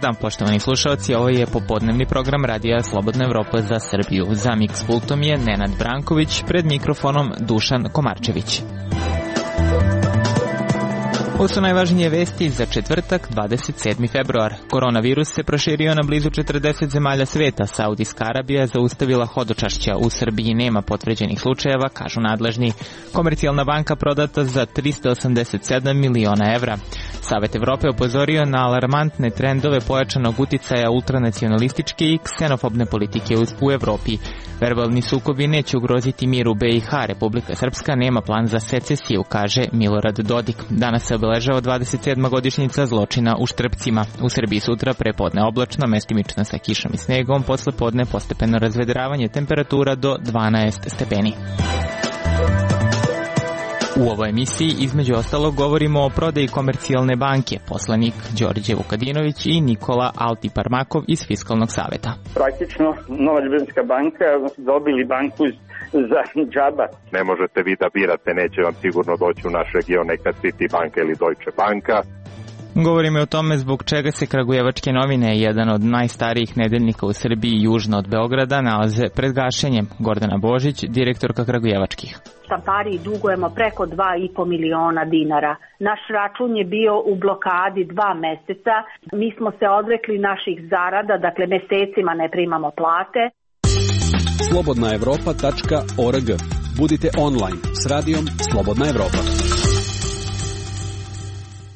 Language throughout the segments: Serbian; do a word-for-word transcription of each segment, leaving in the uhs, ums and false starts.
dan, poštovani slušalci, ovo je popodnevni program Radija Slobodna Evropa za Srbiju. Za Mix Pultom je Nenad Branković, pred mikrofonom Dušan Komarčević. Ovo su najvažnije vesti za četvrtak, dvadeset sedmi februar. Koronavirus se proširio na blizu četrdeset zemalja sveta. Saudijska Arabija zaustavila hodočašća. U Srbiji nema potvrđenih slučajeva, kažu nadležni. Komercijalna banka prodata za trista osamdeset sedam miliona evra. Savet Evrope upozorio na alarmantne trendove pojačanog uticaja ultranacionalističke i ksenofobne politike u Evropi. Verbalni sukobi neće ugroziti mir u B i H. Republika Srpska nema plan za secesiju, kaže Milorad Dodik. Danas se obeležava dvadeset sedma godišnjica zločina u Štrpcima. U Srbiji sutra prepodne oblačno, mestimično sa kišom i snegom, posle podne postepeno razvedravanje, temperatura do dvanaest stepeni. U ovoj emisiji između ostalog govorimo o prodaji Komercijalne banke, poslanik Đorđe Vukadinović i Nikola Altiparmakov iz Fiskalnog saveta. Praktično Nova Ljubljanska banka dobili banku za džaba. Ne možete vi da birate, neće vam sigurno doći u naš region neka Citibanka ili Deutsche Banka. Govorimo o tome zbog čega se Kragujevačke novine, jedan od najstarijih nedeljnika u Srbiji južno od Beograda, nalaze pred gašenjem. Gordana Božić, direktorka Kragujevačkih. Štampariji dugujemo preko dva i po miliona dinara. Naš račun je bio u blokadi dva meseca. Mi smo se odrekli naših zarada, dakle mesecima ne primamo plate. slobodna evropa tačka org. Budite online s radijom Slobodna Evropa.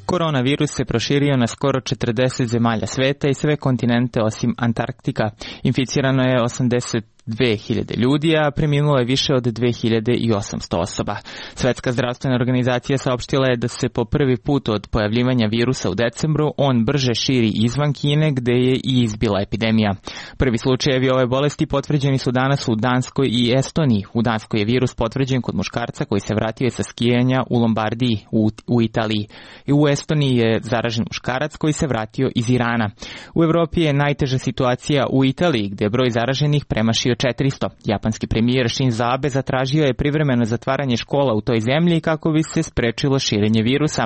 Koronavirus se proširio na skoro četrdeset zemalja sveta i sve kontinente osim Antarktika. Inficirano je osamdeset dve hiljade ljudi, a preminulo je više od dve hiljade osamsto osoba. Svetska zdravstvena organizacija saopštila je da se po prvi put od pojavljivanja virusa u decembru on brže širi izvan Kine, gde je i izbila epidemija. Prvi slučajevi ove bolesti potvrđeni su danas u Danskoj i Estoniji. U Danskoj je virus potvrđen kod muškarca koji se vratio sa skijanja u Lombardiji u, u Italiji. I u Estoniji je zaražen muškarac koji se vratio iz Irana. U Evropi je najteža situacija u Italiji, gde je broj zaraženih premašio četiristo. Japanski premijer Shinzo Abe zatražio je privremeno zatvaranje škola u toj zemlji kako bi se sprečilo širenje virusa.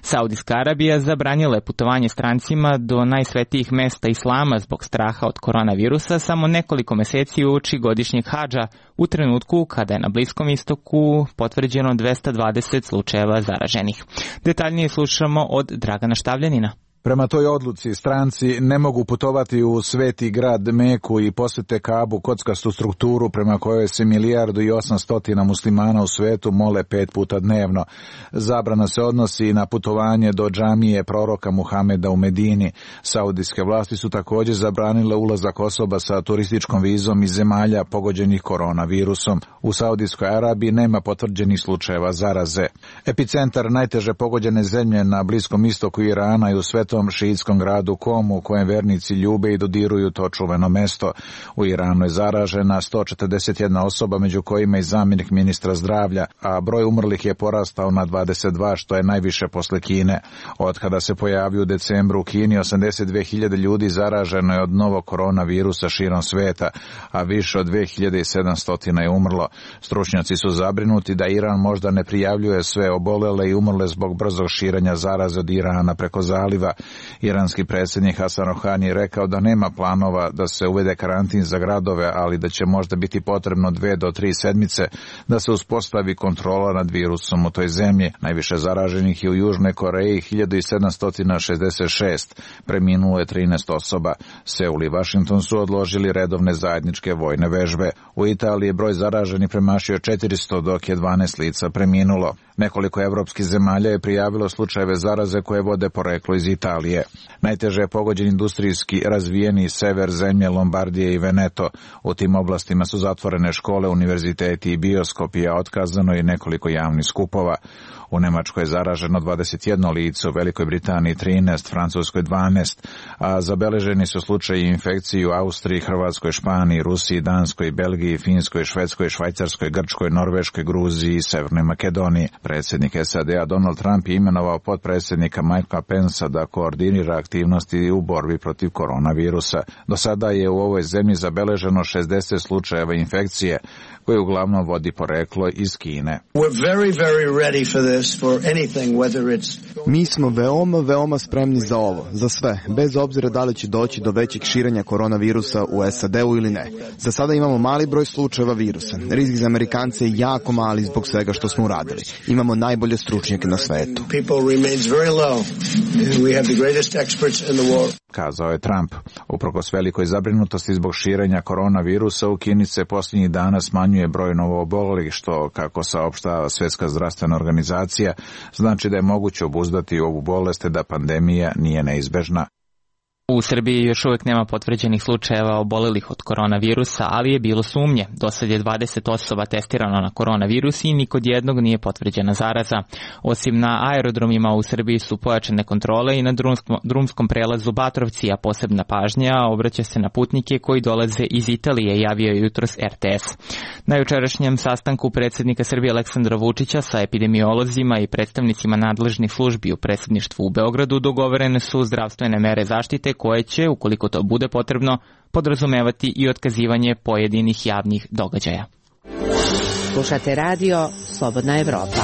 Saudijska Arabija zabranila je putovanje strancima do najsvetijih mesta islama zbog straha od koronavirusa samo nekoliko meseci uoči godišnjeg hadža, u trenutku kada je na Bliskom istoku potvrđeno dvesta dvadeset slučajeva zaraženih. Detaljnije slušamo od Dragana Štavljanina. Prema toj odluci stranci ne mogu putovati u sveti grad Meku i posete Kabu, kockastu strukturu prema kojoj se milijardu i osamstotina muslimana u svetu mole pet puta dnevno. Zabrana se odnosi i na putovanje do džamije proroka Muhameda u Medini. Saudijske vlasti su također zabranile ulazak osoba sa turističkom vizom iz zemalja pogođenih koronavirusom. U Saudijskoj Arabiji nema potvrđenih slučajeva zaraze. Epicentar najteže pogođene zemlje na Bliskom istoku Irana i u svetu šiitskom gradu Komu, u kojem vernici ljube i dodiruju to čuveno mesto. U Iranu je zaražena sto četrdeset jedna osoba, među kojima i zamjenik ministra zdravlja, a broj umrlih je porastao na dvadeset dva, što je najviše posle Kine. Od kada se pojavio u decembru u Kini, osamdeset dve hiljade ljudi zaraženo je od novog koronavirusa širom sveta, a više od dve hiljade sedamsto je umrlo. Stručnjaci su zabrinuti da Iran možda ne prijavljuje sve obolele i umrle zbog brzog širenja zaraze od Irana preko zaliva. Iranski predsjednik Hasan Rohani je rekao da nema planova da se uvede karantin za gradove, ali da će možda biti potrebno dve do tri sedmice da se uspostavi kontrola nad virusom u toj zemlji. Najviše zaraženih je u Južnoj Koreji, hiljadu sedamsto šezdeset šest, preminulo je trinaest osoba. Seul i Washington su odložili redovne zajedničke vojne vežbe. U Italiji je broj zaraženih premašio četiristo, dok je dvanaest lica preminulo. Nekoliko evropskih zemalja je prijavilo slučajeve zaraze koje vode poreklo iz Italije. Najteže je pogođen industrijski razvijeni sever zemlje Lombardije i Veneto. U tim oblastima su zatvorene škole, univerziteti i bioskopi, a otkazano i nekoliko javnih skupova. U Nemačkoj je zaraženo dvadeset jedno lice, u Velikoj Britaniji trinaest, Francuskoj dvanaest, a zabeleženi su slučaji infekcije u Austriji, Hrvatskoj, Španiji, Rusiji, Danskoj, Belgiji, Finskoj, Švedskoj, Švajcarskoj, Grčkoj, Norveškoj, Gruziji i Severnoj Makedoniji. Predsjednik S A D-a Donald Trump je imenovao potpredsjednika Mikea Pensa da koordinira aktivnosti u borbi protiv koronavirusa. Do sada je u ovoj zemlji zabeleženo šezdeset slučajeva infekcije, koje uglavnom vodi poreklo iz Kine. Mi smo veoma, veoma spremni za ovo, za sve, bez obzira da li će doći do većeg širenja koronavirusa u S A D-u ili ne. Za sada imamo mali broj slučajeva virusa. Rizik za Amerikance je jako mali zbog svega što smo uradili. Imamo najbolje stručnjake na svetu. Kazao je Trump. Uprkos velikoj zabrinutosti zbog širenja koronavirusa, u Kini se posljednjih dana smanjuje broj novoobolelih, što, kako saopštava Svjetska zdravstvena organizacija, znači da je moguće obuzdati ovu bolest, da pandemija nije neizbežna. U Srbiji još uvijek nema potvrđenih slučajeva obolelih od koronavirusa, ali je bilo sumnje. Do sad je dvadeset osoba testirano na koronavirus i ni kod jednog nije potvrđena zaraza. Osim na aerodromima u Srbiji su pojačane kontrole i na drumskom, drumskom prelazu Batrovci, a posebna pažnja obraća se na putnike koji dolaze iz Italije, javio je jutros R T S. Na jučerašnjem sastanku predsjednika Srbije Aleksandra Vučića sa epidemiolozima i predstavnicima nadležnih službi u predsjedništvu u Beogradu dogovorene su zdravstvene mere zaštite koje će, ukoliko to bude potrebno, podrazumevati i otkazivanje pojedinih javnih događaja. Slušate radio Slobodna Evropa.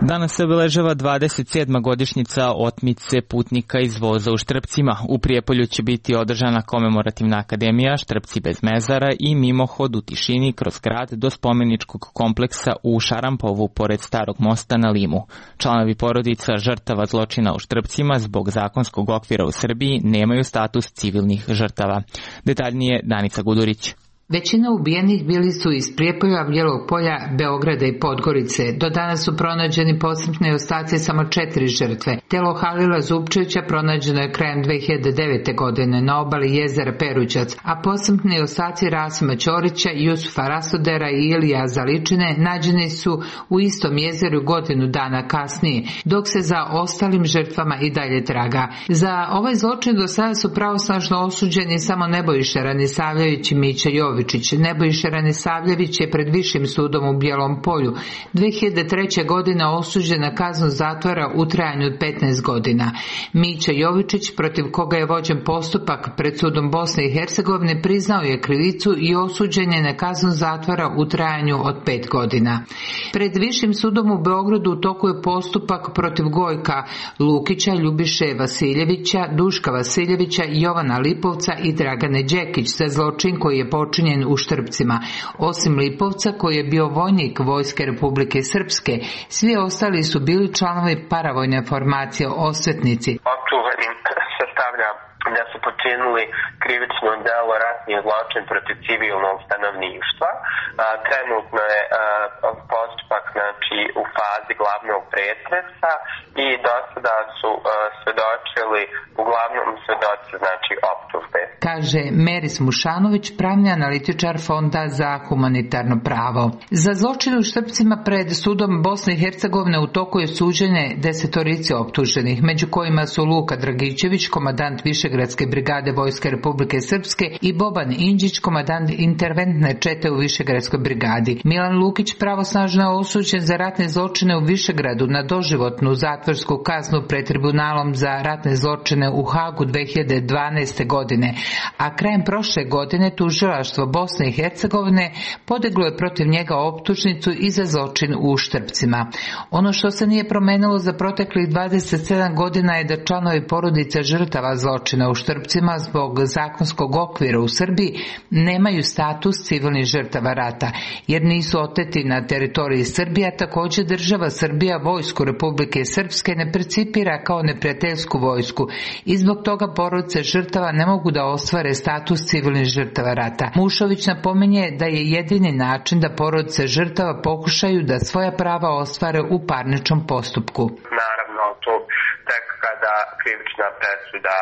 Danas se obeležava dvadeset sedma godišnjica otmice putnika iz voza u Štrpcima. U Prijepolju će biti održana komemorativna akademija Štrpci bez mezara i mimohod u tišini kroz grad do spomeničkog kompleksa u Šarampovu pored Starog mosta na Limu. Članovi porodica žrtava zločina u Štrpcima zbog zakonskog okvira u Srbiji nemaju status civilnih žrtava. Detaljnije Danica Gudurić. Većina ubijenih bili su iz Prijepolja, Bijelog Polja, Beograda i Podgorice. Do danas su pronađeni posmrtni ostaci samo četiri žrtve. Telo Halila Zupčevića pronađeno je krajem dve hiljade devete. godine na obali jezera Perućac, a posmrtni ostaci Rasima Ćorića, Jusufa Rasodera i Ilija Zaličine nađeni su u istom jezeru godinu dana kasnije, dok se za ostalim žrtvama i dalje traga. Za ovaj zločin do sada su pravosnažno osuđeni samo Nebojša Ranisavljević i Mića Jović. Nebojša Ranisavljević je pred Višim sudom u Bijelom Polju dve hiljade treće. godine osuđen na kaznu zatvora u trajanju od petnaest godina. Mića Jovičić, protiv koga je vođen postupak pred sudom Bosne i Hercegovine, priznao je krivicu i osuđen je na kaznu zatvora u trajanju od pet godina. Pred Višim sudom u Beogradu u toku je postupak protiv Gojka Lukića, Ljubiše Vasiljevića, Duška Vasiljevića, Jovana Lipovca i Dragane Đekić za zločin koji je počinjen u Štrpcima. Osim Lipovca, koji je bio vojnik Vojske Republike Srpske, svi ostali su bili članovi paravojne formacije Osvetnici. Optuženim se stavlja da su počinili krivično delo ratni zločin protiv civilnog stanovništva. Trenutno je postupak znači u fazi glavnog pretresa i do sada su svedočili uglavnom svedoci znači optužbe. Kaže Meris Mušanović, pravni analitičar Fonda za humanitarno pravo. Za zločin u Štrpcima pred sudom Bosne i Hercegovine u toku je suđenje desetorici optuženih, među kojima su Luka Dragićević, komandant Višegradske brigade Vojske Republike Srpske, i Boban Inđić, komandant interventne čete u Višegradskoj brigadi. Milan Lukić pravosnažno je osuđen za ratne zločine u Višegradu na doživotnu zatvorsku kaznu pred tribunalom za ratne zločine u Hagu dve hiljade dvanaeste. godine, a krajem prošle godine tužilaštvo Bosne i Hercegovine podiglo je protiv njega optužnicu i za zločin u Štrpcima. Ono što se nije promenilo za proteklih dvadeset sedam godina je da članovi porodice žrtava zločina u Štrpcima zbog zakonskog okvira u Srbiji nemaju status civilnih žrtava rata, jer nisu oteti na teritoriji Srbije. Također država Srbija vojsku Republike Srpske ne percipira kao neprijateljsku vojsku i zbog toga porodice žrtava ne mogu da ostvare status civilnih žrtava rata. Mušović napominje da je jedini način da porodice žrtava pokušaju da svoja prava ostvare u parničnom postupku. Naravno, to tek kada krivična presuda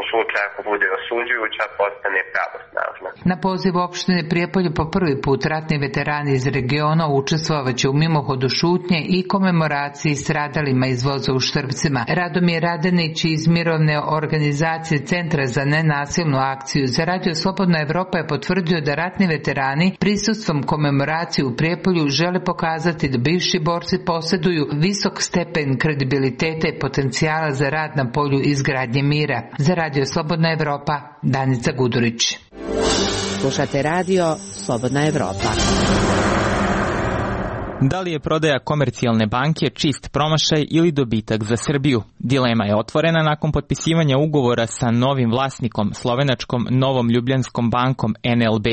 u slučaju ako bude osuđujuća, postane pravosnažna. Na poziv opštine Prijepolje po prvi put ratni veterani iz regiona učestvovaće u mimohodu šutnje i komemoraciji stradalima iz voza u Štrpcima. Radomir Radenić iz mirovne organizacije Centra za nenasilnu akciju za Radio Slobodna Evropa je potvrdio da ratni veterani prisustvom komemoracije u Prijepolju žele pokazati da bivši borci posjeduju visok stepen kredibiliteta i potencijala za rad na polju izgradnje mira. Za Radio Slobodna Evropa, Danica Gudurić. Slušate Radio Slobodna Evropa. Da li je prodaja Komercijalne banke čist promašaj ili dobitak za Srbiju? Dilema je otvorena nakon potpisivanja ugovora sa novim vlasnikom, slovenačkom Novom Ljubljanskom bankom N L B.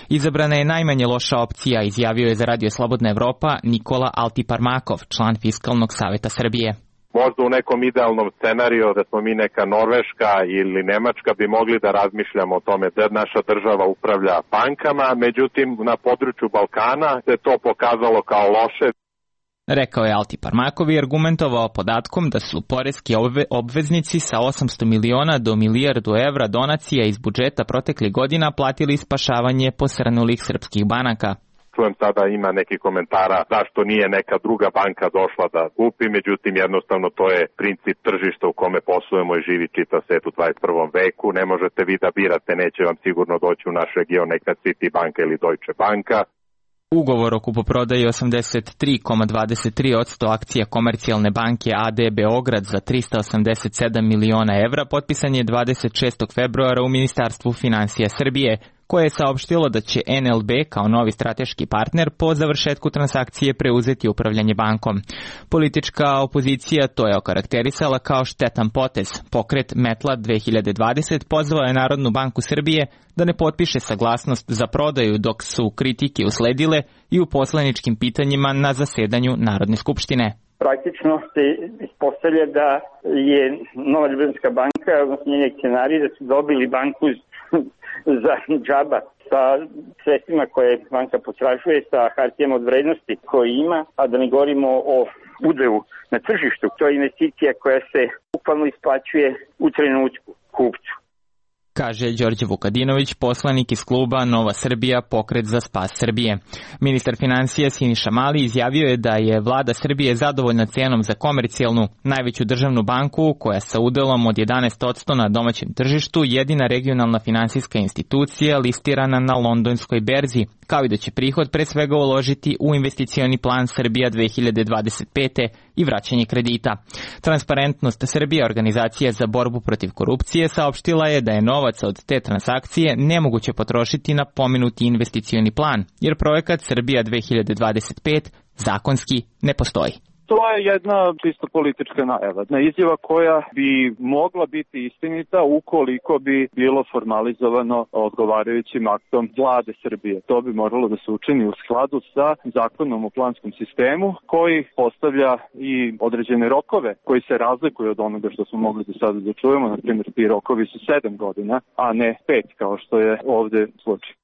Izabrana je najmanje loša opcija, izjavio je za Radio Slobodna Evropa Nikola Altiparmakov, član Fiskalnog saveta Srbije. Možda u nekom idealnom scenariju da smo mi neka Norveška ili Nemačka bi mogli da razmišljamo o tome da naša država upravlja bankama, međutim na području Balkana se to pokazalo kao loše. Rekao je Altiparmakov i argumentovao podatkom da su poreski obveznici sa osamsto miliona do milijardu evra donacija iz budžeta proteklih godina platili spašavanje posrnulih srpskih banaka. Čujem sada ima neki komentara zašto nije neka druga banka došla da kupi, međutim jednostavno to je princip tržišta u kome poslujemo i živi čitav svet u dvadeset prvom veku. Ne možete vi da birate, neće vam sigurno doći u naš region neka City banka ili Deutsche banka. Ugovor o kupoprodaji osamdeset tri zarez dvadeset tri posto akcija Komercijalne banke A D Beograd za trista osamdeset sedam miliona evra potpisan je dvadeset šestog februara u Ministarstvu finansija Srbije, koje je saopštilo da će N L B kao novi strateški partner po završetku transakcije preuzeti upravljanje bankom. Politička opozicija to je okarakterisala kao štetan potez. Pokret Metla dve hiljade dvadeset pozvao je Narodnu banku Srbije da ne potpiše saglasnost za prodaju, dok su kritike usledile i u poslaničkim pitanjima na zasedanju Narodne skupštine. Praktično se ispostavlja da je Nova Ljubljanska banka, odnosno njeni akcionari, da su dobili banku za džaba sa sredstvima koje banka potražuje, sa hartijama od vrednosti koje ima, a da ne govorimo o udelu na tržištu. To je investicija koja se bukvalno isplaćuje u trenutku kupcu. Kaže Đorđe Vukadinović, poslanik iz kluba Nova Srbija, Pokret za spas Srbije. Ministar finansija Siniša Mali izjavio je da je vlada Srbije zadovoljna cenom za Komercijalnu, najveću državnu banku koja sa udelom od jedanaest posto na domaćem tržištu jedina regionalna finansijska institucija listirana na londonskoj berzi, kao i da će prihod pre svega uložiti u investicioni plan Srbija dve hiljade dvadeset pete i vraćanje kredita. Transparentnost Srbije, organizacija za borbu protiv korupcije, saopštila je da je novac od te transakcije nemoguće potrošiti na pomenuti investicioni plan, jer projekat Srbija dve hiljade dvadeset pet zakonski ne postoji. To je jedna čisto politička najava, izjava koja bi mogla biti istinita ukoliko bi bilo formalizovano odgovarajućim aktom vlade Srbije. To bi moralo da se učini u skladu sa zakonom o planskom sistemu koji postavlja i određene rokove koji se razlikuju od onoga što smo mogli do sada da čujemo. Na primjer, ti rokovi su sedam godina, a ne pet kao što je ovde slučaj.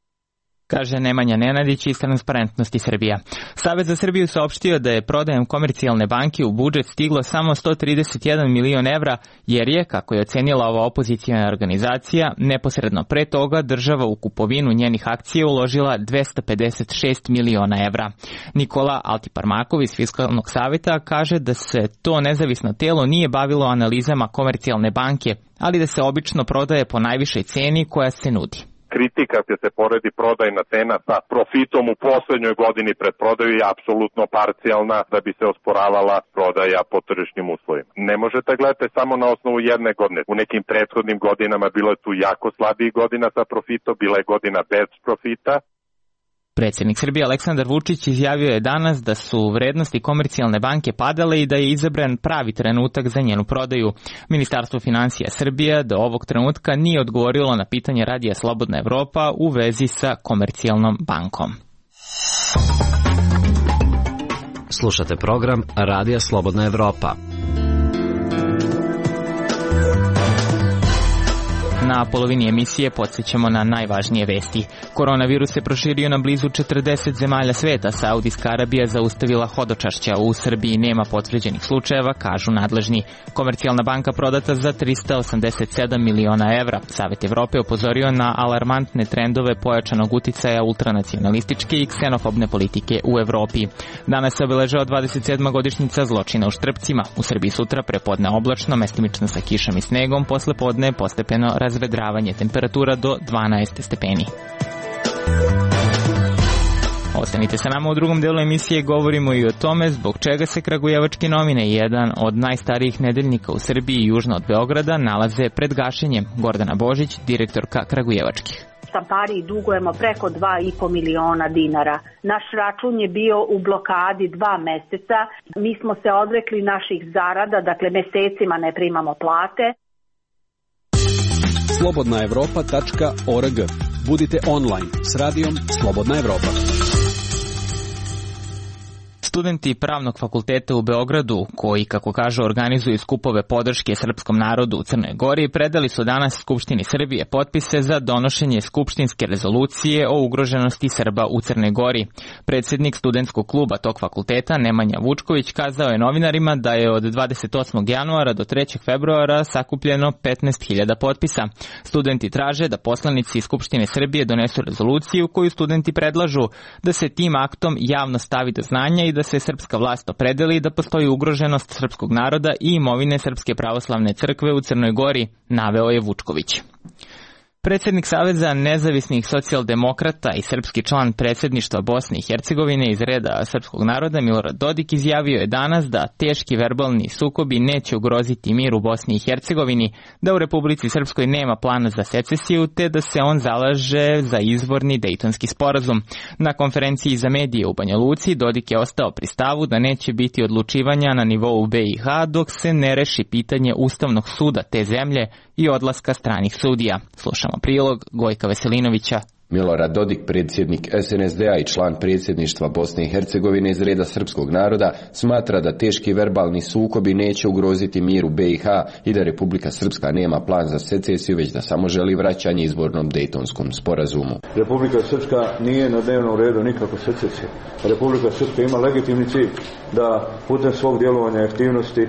Kaže Nemanja Nenadić iz Transparentnosti Srbija. Savez za Srbiju saopštio da je prodajom Komercijalne banke u budžet stiglo samo sto trideset jedan milion evra, jer je, kako je ocenila ova opozicijna organizacija, neposredno pre toga država u kupovinu njenih akcija uložila dvesta pedeset šest miliona evra. Nikola Altiparmakov iz Fiskalnog saveta kaže da se to nezavisno telo nije bavilo analizama Komercijalne banke, ali da se obično prodaje po najvišoj ceni koja se nudi. Kritika gdje se poredi prodajna cena sa profitom u poslednjoj godini pred prodaju je apsolutno parcijalna da bi se osporavala prodaja po tržišnim uslovima. Ne možete gledati samo na osnovu jedne godine. U nekim prethodnim godinama bilo je tu jako slabih godina sa profitom, bila je godina bez profita. Predsjednik Srbije Aleksandar Vučić izjavio je danas da su vrednosti Komercijalne banke padale i da je izabran pravi trenutak za njenu prodaju. Ministarstvo finansija Srbije do ovog trenutka nije odgovorilo na pitanje Radija Slobodna Evropa u vezi sa Komercijalnom bankom. Slušate program Radija Slobodna Evropa. Na polovini emisije podsjećamo na najvažnije vesti. Koronavirus se proširio na blizu četrdeset zemalja sveta. Saudijska Arabija zaustavila hodočašća. U Srbiji nema potvrđenih slučajeva, kažu nadležni. Komercijalna banka prodata za trista osamdeset sedam miliona evra. Savet Evrope upozorio na alarmantne trendove pojačanog uticaja ultranacionalističke i ksenofobne politike u Evropi. Danas se obeležava dvadeset sedma godišnjica zločina u Štrpcima. U Srbiji sutra prepodne oblačno, mestimično sa kišom i snegom, posle podne postepeno razvedravanje, temperatura do dvanaest stepeni. Ostanite sa nama u drugom delu emisije, govorimo i o tome zbog čega se Kragujevačke novine, jedan od najstarijih nedeljnika u Srbiji južno od Beograda, nalaze pred gašenjem. Gordana Božić, direktorka Kragujevačkih. Štampariji dugujemo preko dva i po miliona dinara. Naš račun je bio u blokadi dva meseca. Mi smo se odrekli naših zarada, dakle mesecima ne primamo plate. slobodna evropa tačka org. Budite online s radijom Slobodna Evropa. Studenti Pravnog fakulteta u Beogradu, koji, kako kažu, organizuju skupove podrške srpskom narodu u Crnoj Gori, predali su danas Skupštini Srbije potpise za donošenje skupštinske rezolucije o ugroženosti Srba u Crnoj Gori. Predsjednik studentskog kluba tog fakulteta, Nemanja Vučković, kazao je novinarima da je od dvadeset osmog januara do trećeg februara sakupljeno petnaest hiljada potpisa. Studenti traže da poslanici Skupštine Srbije donesu rezoluciju koju studenti predlažu da se tim aktom javno stavi do znanja i da se srpska vlast opredeli da postoji ugroženost srpskog naroda i imovine Srpske pravoslavne crkve u Crnoj Gori, naveo je Vučković. Predsjednik Saveza nezavisnih socijaldemokrata i srpski član predsjedništva Bosne i Hercegovine iz reda srpskog naroda Milorad Dodik izjavio je danas da teški verbalni sukobi neće ugroziti mir u Bosni i Hercegovini, da u Republici Srpskoj nema plana za secesiju, te da se on zalaže za izvorni Dejtonski sporazum. Na konferenciji za medije u Banja Luci Dodik je ostao pri stavu da neće biti odlučivanja na nivou B i H dok se ne reši pitanje Ustavnog suda te zemlje i odlaska stranih sudija. Slušamo prilog Gojka Veselinovića. Milorad Dodik, predsjednik S N S D A i član predsjedništva Bosne i Hercegovine iz reda srpskog naroda, smatra da teški verbalni sukobi neće ugroziti mir u B i H i da Republika Srpska nema plan za secesiju, već da samo želi vraćanje izvornom Dejtonskom sporazumu. Republika Srpska nije na dnevnom redu nikako secesija. Republika Srpska ima legitimni cilj da putem svog djelovanja i aktivnosti e,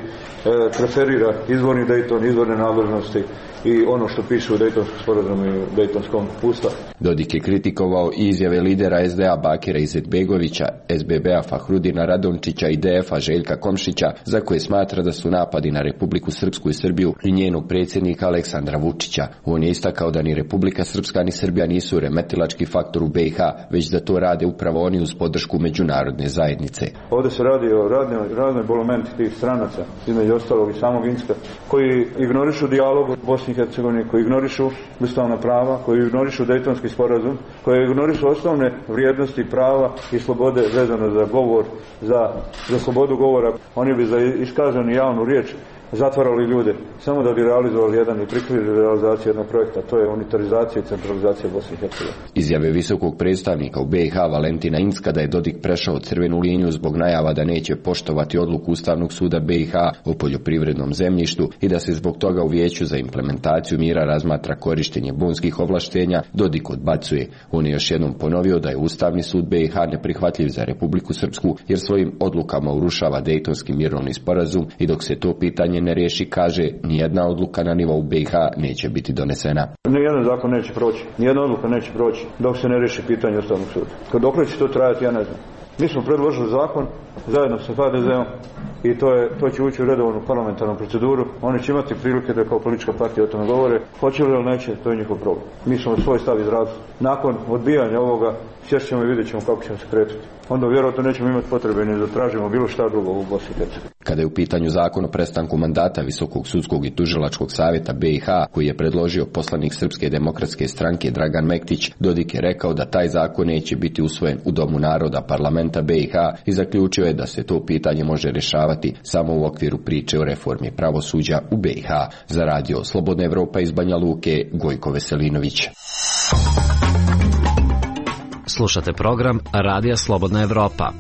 preferira izvorni Dejton, izvorne nadležnosti i ono što piše u Dejtonskom sporazumu i u Dejtonskom ustavu. Dodik je kritikovao i izjave lidera S D A Bakira Izetbegovića, S B B-a Fahrudina Radončića i D F-a Željka Komšića, za koje smatra da su napadi na Republiku Srpsku i Srbiju i njenog predsjednika Aleksandra Vučića. On je istakao da ni Republika Srpska ni Srbija nisu remetilački faktor u B i H, već da to rade upravo oni uz podršku međunarodne zajednice. Ovdje se radi o radnoj, radnoj bolomenti tih stranaca, između ostalog i samog Inska, koji ignorišu dijalog u Bosni i Hercegovini, koji ignorišu ustavna prava, koji ignorišu Dejtonski sporazum, koji ignorišu osnovne vrijednosti prava i slobode vezano za govor, za, za slobodu govora. Oni bi za iskazanu javnu riječ zatvarali ljude, samo da bi realizovali jedan i prikrili realizaciju jednog projekta, to je unitarizacija i centralizacija Bosne i Hercegovine. Izjave visokog predstavnika u B i H Valentina Incka da je Dodik prešao crvenu liniju zbog najava da neće poštovati odluku Ustavnog suda B i H o poljoprivrednom zemljištu i da se zbog toga u Vijeću za implementaciju mira razmatra korištenje bonskih ovlaštenja, Dodik odbacuje. On je još jednom ponovio da je Ustavni sud B i H neprihvatljiv za Republiku Srpsku jer svojim odlukama urušava Dejtonski mirovni sporazum i dok se to pitanje ne riješi, kaže, nijedna odluka na nivou B i H neće biti donesena. Nijedan zakon neće proći, nijedna odluka neće proći dok se ne riješi pitanje Ustavnog suda. Dokle će to trajati, ja ne znam. Mi smo predložili zakon zajedno sa H D Z-om i to, je, to će ući u redovnu parlamentarnu proceduru. Oni će imati prilike da kao politička partija o tome govore. Hoće li ili neće, to je njihov problem. Mi smo svoj stav izrazili. Nakon odbijanja ovoga, sjest ćemo i vidjet ćemo kako ćemo se kretati. Onda vjerojatno nećemo imati potrebe ni da tražimo bilo šta drugo u Bosni i Hercegovini. Kada je u pitanju zakon o prestanku mandata Visokog sudskog i tužilačkog savjeta B i H, koji je predložio poslanik Srpske demokratske stranke Dragan Mektić, Dodik je rekao da taj zakon neće biti usvojen u Domu naroda parlamenta B i H i zaključio je da se to pitanje može rješavati samo u okviru priče o reformi pravosuđa u B i H. Za radio Slobodna Evropa iz Banja Luke, Gojko Veselinović. Slušate program Radija Slobodna Evropa.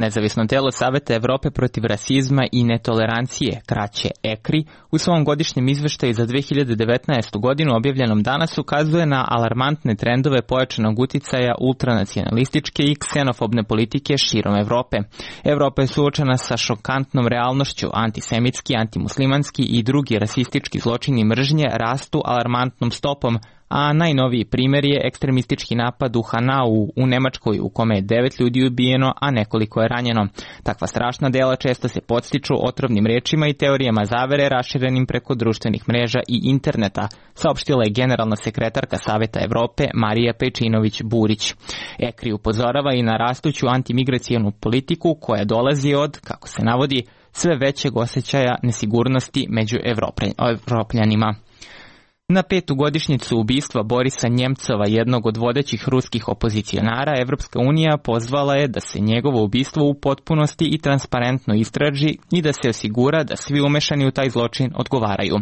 Nezavisno telo Saveta Evrope protiv rasizma i netolerancije, kraće E K R I, u svom godišnjem izveštaju za dve hiljade devetnaestu. godinu objavljenom danas ukazuje na alarmantne trendove pojačanog uticaja ultranacionalističke i ksenofobne politike širom Evrope. Evropa je suočena sa šokantnom realnošću, antisemitski, antimuslimanski i drugi rasistički zločini mržnje rastu alarmantnom stopom, a najnoviji primjer je ekstremistički napad u Hanau u Nemačkoj u kome je devet ljudi ubijeno, a nekoliko je ranjeno. Takva strašna dela često se podstiču otrovnim rečima i teorijama zavere raširenim preko društvenih mreža i interneta, saopštila je generalna sekretarka Saveta Evrope Marija Pejčinović-Burić. E K R I upozorava i na rastuću antimigracijonu politiku koja dolazi od, kako se navodi, sve većeg osjećaja nesigurnosti među Evropljanima. Na petu godišnjicu ubistva Borisa Njemcova, jednog od vodećih ruskih opozicionara, Evropska unija pozvala je da se njegovo ubistvo u potpunosti i transparentno istraži i da se osigura da svi umešani u taj zločin odgovaraju.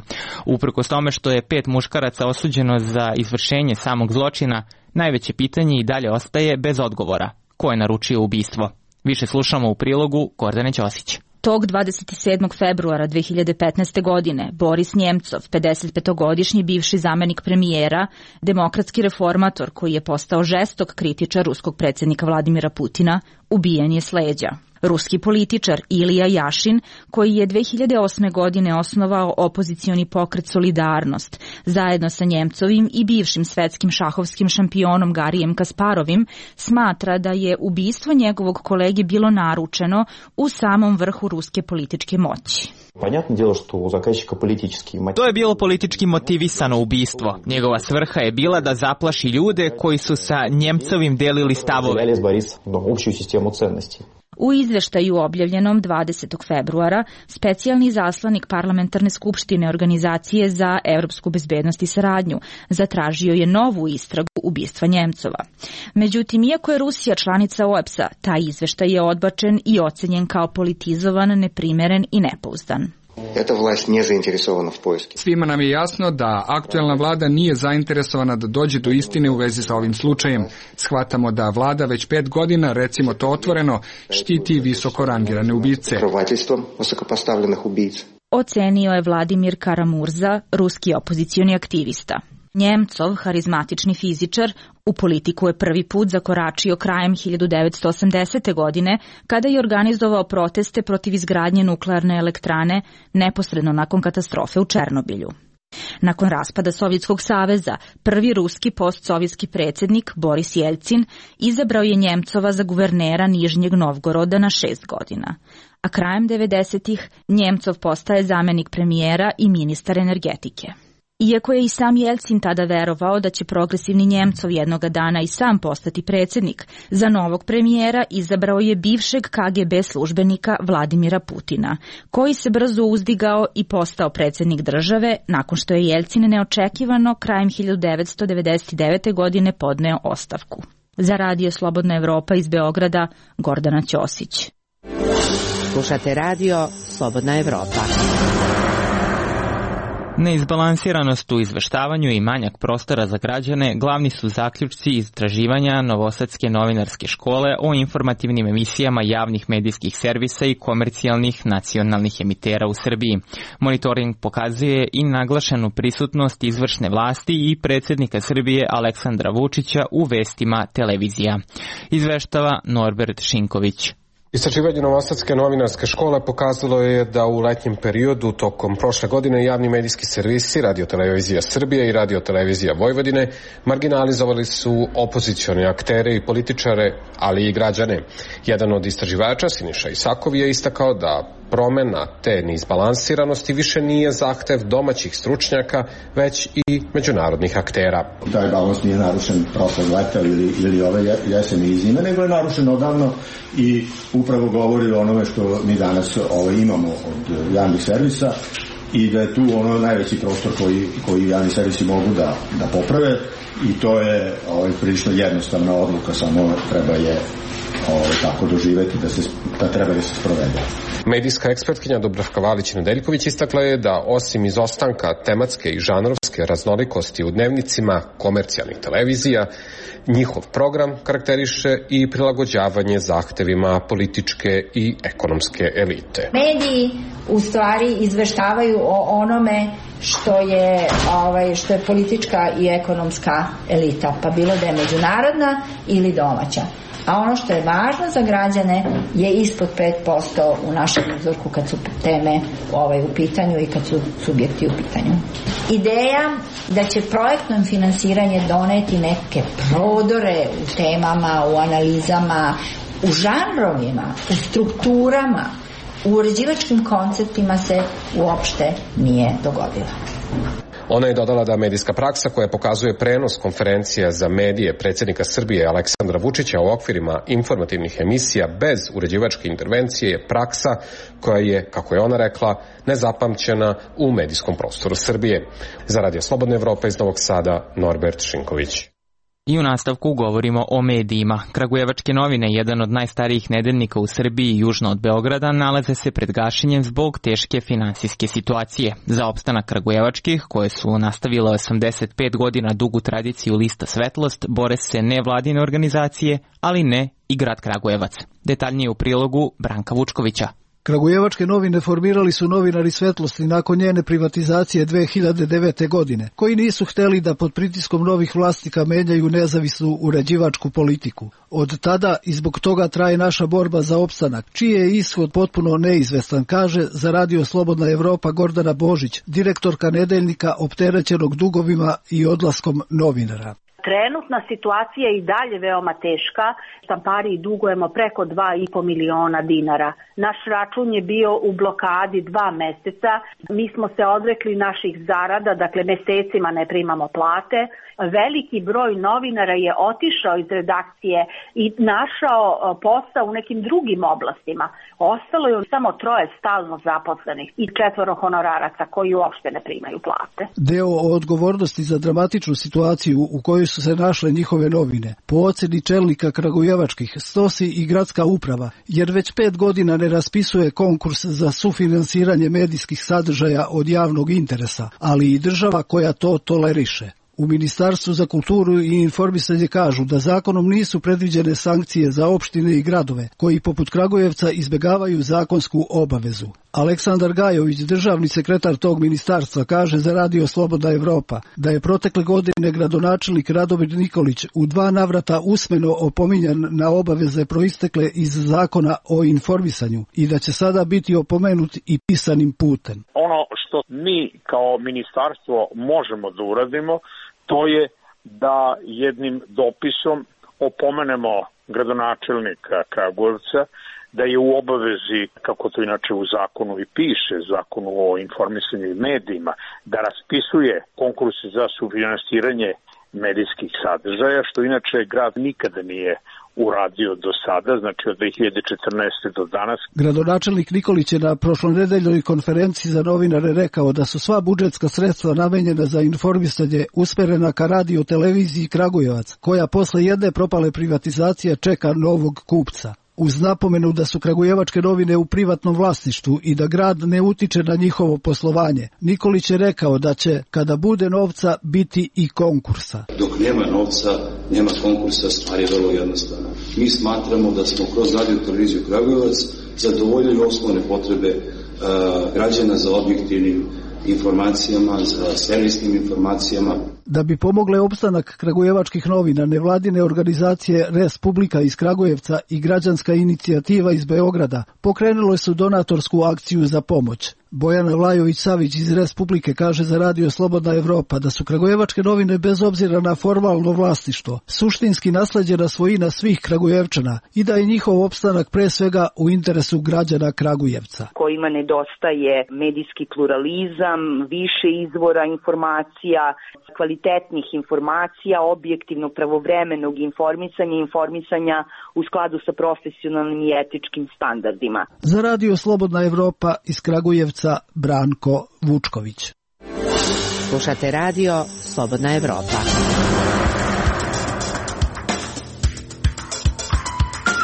Uprkos tome što je pet muškaraca osuđeno za izvršenje samog zločina, najveće pitanje i dalje ostaje bez odgovora. Ko je naručio ubistvo? Više slušamo u prilogu Gordane Ćosić. Tog dvadeset sedmog februara dve hiljade petnaeste. godine Boris Njemcov, pedesetpetogodišnji bivši zamenik premijera, demokratski reformator koji je postao žestok kritičar ruskog predsjednika Vladimira Putina, ubijen je s leđa. Ruski političar Ilija Jašin, koji je dve hiljade osme. godine osnovao opozicioni pokret Solidarnost, zajedno sa Njemcovim i bivšim svetskim šahovskim šampionom Garijem Kasparovim, smatra da je ubistvo njegovog kolege bilo naručeno u samom vrhu ruske političke moći. To je bilo politički motivisano ubistvo. Njegova svrha je bila da zaplaši ljude koji su sa Njemcovim delili stavove. U izveštaju objavljenom dvadesetog februara, specijalni zaslanik Parlamentarne skupštine Organizacije za evropsku bezbednost i saradnju zatražio je novu istragu ubistva Njemcova. Međutim, iako je Rusija članica O E B S-a, taj izveštaj je odbačen i ocenjen kao politizovan, neprimeren i nepouzdan. Svima nam je jasno da aktuelna vlada nije zainteresovana da dođe do istine u vezi sa ovim slučajem. Shvatamo da vlada već pet godina, recimo to otvoreno, štiti visoko rangirane ubice. Ocenio je Vladimir Karamurza, ruski opozicioni aktivista. Njemcov, harizmatični fizičar, u politiku je prvi put zakoračio krajem hiljadu devetsto osamdesete. godine, kada je organizovao proteste protiv izgradnje nuklearne elektrane neposredno nakon katastrofe u Černobilju. Nakon raspada Sovjetskog saveza, prvi ruski postsovjetski predsjednik Boris Jeljcin izabrao je Njemcova za guvernera Nižnjeg Novgoroda na šest godina. A krajem devedesetih Njemcov postaje zamenik premijera i ministar energetike. Iako je i sam Jeljcin tada verovao da će progresivni Njemcov jednoga dana i sam postati predsjednik, za novog premijera izabrao je bivšeg K G B službenika Vladimira Putina, koji se brzo uzdigao i postao predsjednik države nakon što je Jeljcin neočekivano krajem hiljadu devetsto devedeset devete. godine podneo ostavku. Za Radio Slobodna Evropa iz Beograda, Gordana Ćosić. Slušate Radio Slobodna Evropa. Neizbalansiranost u izveštavanju i manjak prostora za građane glavni su zaključci istraživanja Novosadske novinarske škole o informativnim emisijama javnih medijskih servisa i komercijalnih nacionalnih emitera u Srbiji. Monitoring pokazuje i naglašenu prisutnost izvršne vlasti i predsjednika Srbije Aleksandra Vučića u vestima televizija. Izveštava Norbert Šinković. Istraživanje Novosadske novinarske škole pokazalo je da u letnjem periodu tokom prošle godine javni medijski servisi Radio-televizija Srbije i Radio-televizija Vojvodine marginalizovali su opozicione aktere i političare, ali i građane. Jedan od istraživača, Siniša Isakov, je istakao da promena te neizbalansiranosti više nije zahtev domaćih stručnjaka, već i međunarodnih aktera. Taj balans nije narušen prošlog leta ili, ili ove jeseni i zime, nego je narušen odavno i upravo govori o onome što mi danas ovaj, imamo od javnih servisa i da je tu ono najveći prostor koji, koji javni servisi mogu da, da poprave i to je ovaj, prilično jednostavna odluka, samo treba je ovaj, tako doživeti da, se, da treba da se sprovede. Medijska ekspertkinja Dubravka Valić-Nedeljković istakla je da osim izostanka tematske i žanrovske raznolikosti u dnevnicima komercijalnih televizija, njihov program karakteriše i prilagođavanje zahtevima političke i ekonomske elite. Mediji u stvari izveštavaju o onome što je, ovaj, što je politička i ekonomska elita, pa bilo da je međunarodna ili domaća. A ono što je važno za građane je ispod pet posto u našem uzorku kad su teme ovaj, u pitanju i kad su subjekti u pitanju. Ideja da će projektno finansiranje doneti neke prodore u temama, u analizama, u žanrovima, u strukturama, u uređivačkim konceptima se uopšte nije dogodila. Ona je dodala da medijska praksa koja pokazuje prenos konferencija za medije predsjednika Srbije Aleksandra Vučića u okvirima informativnih emisija bez uređivačke intervencije je praksa koja je, kako je ona rekla, nezapamćena u medijskom prostoru Srbije. Za Radio Slobodna Evropa iz Novog Sada, Norbert Šinković. I u nastavku govorimo o medijima. Kragujevačke novine, jedan od najstarijih nedeljnika u Srbiji južno od Beograda, nalaze se pred gašenjem zbog teške finansijske situacije. Za opstanak kragujevačkih, koje su nastavile osamdeset pet godina dugu tradiciju lista Svetlost, bore se nevladine organizacije, ali ne i grad Kragujevac. Detaljnije u prilogu Branka Vučkovića. Kragujevačke novine formirali su novinari Svetlosti nakon njene privatizacije dve hiljade devete. godine, koji nisu hteli da pod pritiskom novih vlasnika menjaju nezavisnu uređivačku politiku. Od tada i zbog toga traje naša borba za opstanak, čiji je ishod potpuno neizvestan, kaže za Radio Slobodna Evropa Gordana Božić, direktorka nedeljnika opterećenog dugovima i odlaskom novinara. Trenutna situacija je i dalje veoma teška. Štampariji dugujemo preko dva i po miliona dinara. Naš račun je bio u blokadi dva meseca. Mi smo se odrekli naših zarada, dakle mesecima ne primamo plate. Veliki broj novinara je otišao iz redakcije i našao posao u nekim drugim oblastima. Ostalo je samo troje stalno zaposlenih i četvoro honoraraca koji uopšte ne primaju plate. Deo odgovornosti za dramatičnu situaciju u kojoj su se našle njihove novine, po oceni čelnika kragujevačkih, stosi i gradska uprava, jer već pet godina ne raspisuje konkurs za sufinansiranje medijskih sadržaja od javnog interesa, ali i država koja to toleriše. U Ministarstvu za kulturu i informisanje kažu da zakonom nisu predviđene sankcije za opštine i gradove, koji poput Kragujevca izbegavaju zakonsku obavezu. Aleksandar Gajović, državni sekretar tog ministarstva, kaže za Radio Slobodna Evropa da je protekle godine gradonačelnik Radomir Nikolić u dva navrata usmeno opominjan na obaveze proistekle iz zakona o informisanju i da će sada biti opomenut i pisanim putem. Ono što mi kao ministarstvo možemo da uradimo, to je da jednim dopisom opomenemo gradonačelnika Kragujevca da je u obavezi, kako to inače u zakonu i piše, zakonu o informisanju i medijima, da raspisuje konkurse za sufinansiranje medijskih sadržaja, što inače grad nikada nije uradio do sada, znači od dve hiljade četrnaeste. do danas. Gradonačelnik Nikolić je na prošlonedeljnoj konferenciji za novinare rekao da su sva budžetska sredstva namenjena za informisanje usmerena ka radio televiziji Kragujevac, koja posle jedne propale privatizacije čeka novog kupca. Uz napomenu da su kragujevačke novine u privatnom vlasništvu i da grad ne utiče na njihovo poslovanje, Nikolić je rekao da će, kada bude novca, biti i konkursa. Dok nema novca, nema konkursa, stvar je vrlo jednostavna. Mi smatramo da smo kroz radio televiziju Kragujevac zadovoljili osnovne potrebe uh, građana za objektivnim informacijama, za servisnim informacijama. Da bi pomogle opstanak kragujevačkih novina, nevladine organizacije Respublika iz Kragujevca i građanska inicijativa iz Beograda pokrenule su donatorsku akciju za pomoć. Bojana Vlajović-Savić iz Respublike kaže za Radio Slobodna Evropa da su kragujevačke novine bez obzira na formalno vlasništvo suštinski nasleđena svojina svih Kragujevčana i da je njihov opstanak pre svega u interesu građana Kragujevca. Kojima nedostaje medijski pluralizam, više izvora informacija, kvalitetnih informacija, objektivnog pravovremenog informisanja i informisanja u skladu sa profesionalnim i etičkim standardima. Za Radio Slobodna Evropa iz Kragujevca Branko Vučković. Slušate Radio Slobodna Evropa.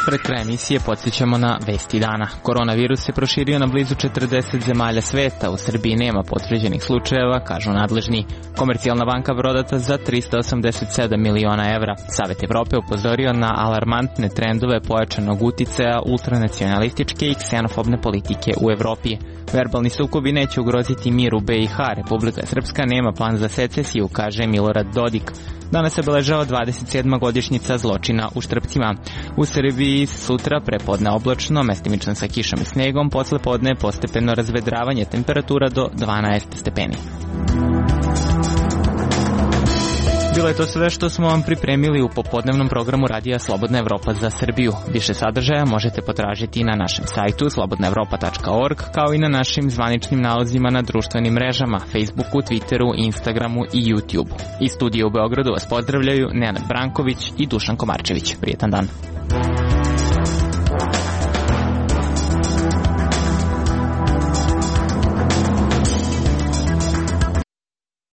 Pred kraj emisije podsjećamo na vesti dana. Koronavirus se proširio na blizu četrdeset zemalja sveta. U Srbiji nema potvrđenih slučajeva, kažu nadležni. Komercijalna banka prodata za trista osamdeset sedam miliona evra. Savet Evrope upozorio na alarmantne trendove pojačanog uticaja ultranacionalističke i ksenofobne politike u Evropi. Verbalni sukobi neće ugroziti mir u B i H. Republika Srpska nema plan za secesiju, kaže Milorad Dodik. Danas se obeležava dvadeset sedma godišnjica zločina u Štrpcima. U Srbiji sutra prepodne oblačno, mestimično sa kišom i snegom, posle podne postepeno razvedravanje, temperatura do dvanaest stepeni. Bilo je to sve što smo vam pripremili u popodnevnom programu Radija Slobodna Evropa za Srbiju. Više sadržaja možete potražiti na našem sajtu slobodna evropa tačka org, kao i na našim zvaničnim nalozima na društvenim mrežama, Facebooku, Twitteru, Instagramu i YouTubeu. Iz studija u Beogradu vas pozdravljaju Nenad Branković i Dušan Komarčević. Prijetan dan.